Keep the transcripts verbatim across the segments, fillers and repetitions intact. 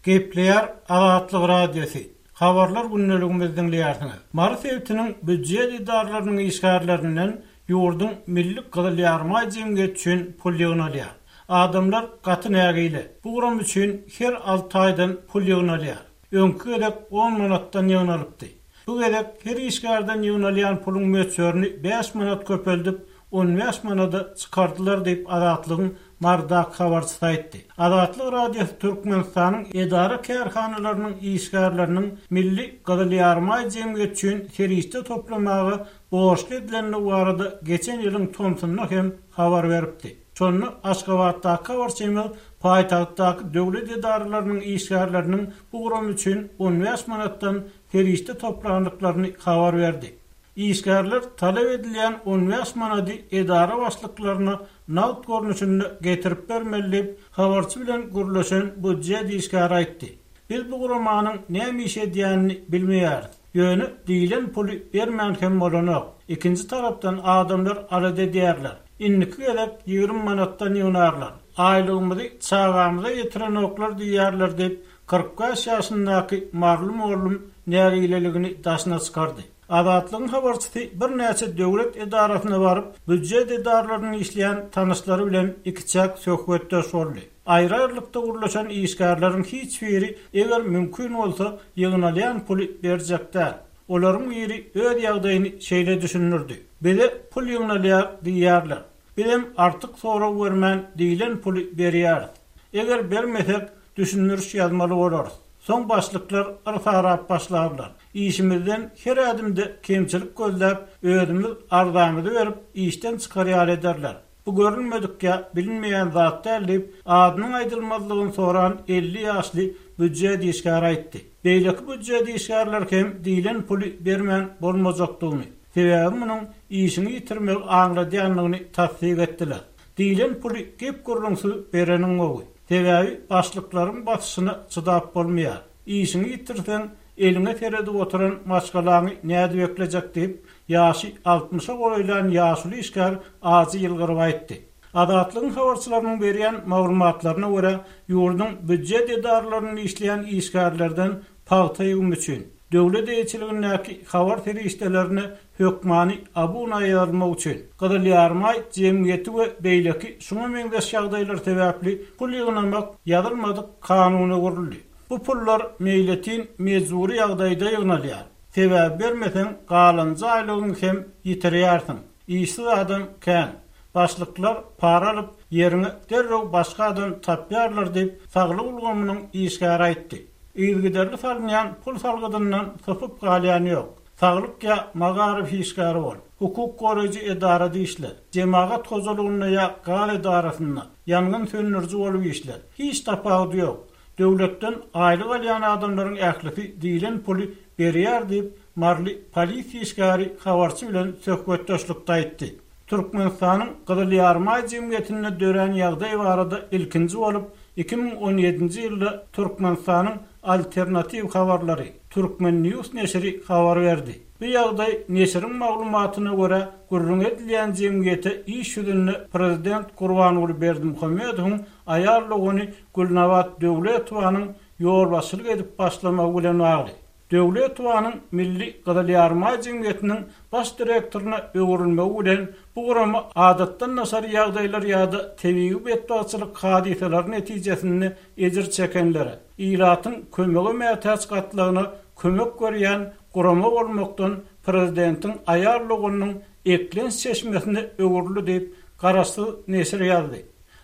Gepleýär Azatlyk Radiosy. Habarlar gündeligimizi diňleýärsiňiz. Mary sebitiniň býujet edaralarynyň işgärlerinden ýurduň Milli Gyzyl Ýarymaý jemgyýeti üçin pul ýygnalýar. Adamlar gaty nägile. Bu guram üçin her alty aýdan pul ýygnalýar. Öňki gezek on manatdan ýygnalypdy. Bu gezek her işgärden ýygnalýan puluň möçberini bäş manat köpeldip, on bäş manada çykardylar diýip Azatlygyň Marydaky habarçysy aýtdy. Azatlyk Radiosy Türkmenistanyň edara kärhanalarynyň işgärleriniň Milli Gyzyl Ýarymaý jemgyýeti üçin serişde toplamaga borçly edilendigi barada geçen ýylyň tomsunda hem habar beripdi. Şonda Aşgabatdaky habarçymyz paýtagtdaky döwlet edaralarynyň işgärleriniň bu guram üçin on bäş manatdan serişde toplandyklaryny habar berdi. Işgärler talap edilýän on bäş manady edara başlyklaryna nagt görnüşinde getirip bermeli diýip, habarçy bilen gürleşen býujet işgäri aýtdy. Biz bu guramanyň näme iş edýänini bilmeýäris. Ýöne diýlen puly bermän hem bolanok. Ikinji tarapdan adamlar alada edýärler. Indiki gezek ýigrimi manatdan ýygnarlar. Aýlygymyzy çagamyza ýetirenoklar diýýärler diýip, kyrk bäş ýaşyndaky Marly mollum nägileligini daşyna çykardy. Azatlygyň habarçysy birnäçe döwlet edarasyna baryp, býujet edaralarynyň işleýän tanyşlary bilen ikiçäk söhbetdeş boldy. Aýry-aýrylykda gurlaşan işgärleriň hiç biri eger mümkin bolsa ýygnalýan puly berjek däl. Olaryň biri öz ýagdaýyny şeýle düşündirdi. Bize pul ýygnalýar diýýärler. Bizem artyk sorag bermän diýlen puly berýäris. Eger bermesek düşündiriş ýazmaly bolarys. Soň başlyklar yrsarap başlarlar. Işimizden her ädimde kemçilik gözläp, özümiz arzamyzy berip işden çykarýar ederler. Bu görünmedik ýa bilinmeýän zat däl diýip, adynyň aýdylmazlygyny soran elli ýaşly býujet işgäri aýtdy. Beýleki býujet işgärler hem diýlen puly bermän bolmajakdygyny, sebäbi munuň işini ýitirmegi aňladýandygyny tassyk etdiler. Diýlen puly gep gürrüňsiz bereniň gowy. Sebäbi başlyklaryň basyşyna çydap bolmaýar. Işini ýitirseň, eliňe seredip oturan maşgalaňy nädip eklejek diýip, ýaşy altmyşa golaýlan ýaşuly işgär ajy ýylgyryp aýtdy. Azatlygyň habarçylarynyň berýän maglumatlaryna görä, ýurduň býujet edaralaryny işleýän işgärlerden pagta ýygymy üçin döwlet eýeçiligindäki habar serişdelerine hökmany abuna ýazmak üçin Gyzyl Ýarymaý jemgyýeti we beýleki şuňa meňzeş ýagdaýlar sebäpli pul ýygnamak ýazylmadyk kanuna guruldy. Bu pullar meýletin mejbury ýagdaýda ýygnalýar. Sebäbi bermeseň galanjy aýlygyňy hem ýitirýärsiň. Işsiz adam kän. Başlyklar para alyp ýeriňe derrew başga adam tapýarlar diýip, saglyk ulgamynyň işgäri aýtdy. Yzygiderli salynýan pul salgydyndan sypyp galýan ýok. Saglyk ýa magaryf işgäri bol. Hukuk goraýjy edara işle. Jemagat hojalygynda ýa gaz edarasynda ýangyn söndüriji bolup işle. Hiç tapawudy ýok. Döwletden aýlyk alýan adamlaryň ählisi diýlen puly berýär diýip, Marly polisiýa işgäri habarçy bilen söhbetdeşlikde aýtdy. Türkmenistanyň Gyzyl Ýarymaý jemgyýetinde dörän ýagdaý barada ilkinji bolup iki müň on ýedinji ýylda Türkmenistanyň alternatiw habarlary Türkmen News neşiri habar berdi. Bu ýagdaý neşiriň maglumatyna görä gürrüň edilýän jemgyýete iş ýüzünde prezident Gurbanguly Berdimuhamedowyň aýal dogany Gülnabat Döwletowanyň ýolbaşçylyk edip başlamagy bilen bagly. Döwletowanyň Milli Gyzyl Ýarymaý jemgyýetiniň baş direktoryna öwrülmegi bilen bu gurama adatdan daşary ýagdaýlar ýa-da tebigy betbagtçylyk hadysalary netijesinde ejir çekenlere, ilatyň kömege mätäç gatlagyna kömek berýän gurama bolmakdan prezidentiň aýal doganynyň eklenç çeşmesine öwrüldi diýip, garaşsyz neşir ýazdy.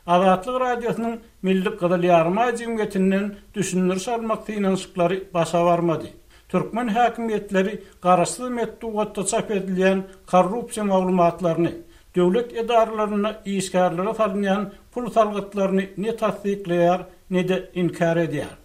Azatlyk Radiosynyň Milli Gyzyl Ýarymaý jemgyýetinden düşündiriş almak synanyşyklary başa barmady. Türkmen häkimiýetleri garaşsyz metbugatda çap edilýän korrupsiýa maglumatlaryny, döwlet edaralarynda işgärlere salynýan pul salgytlaryny ne tassyklaýar, ne-de inkär edýär.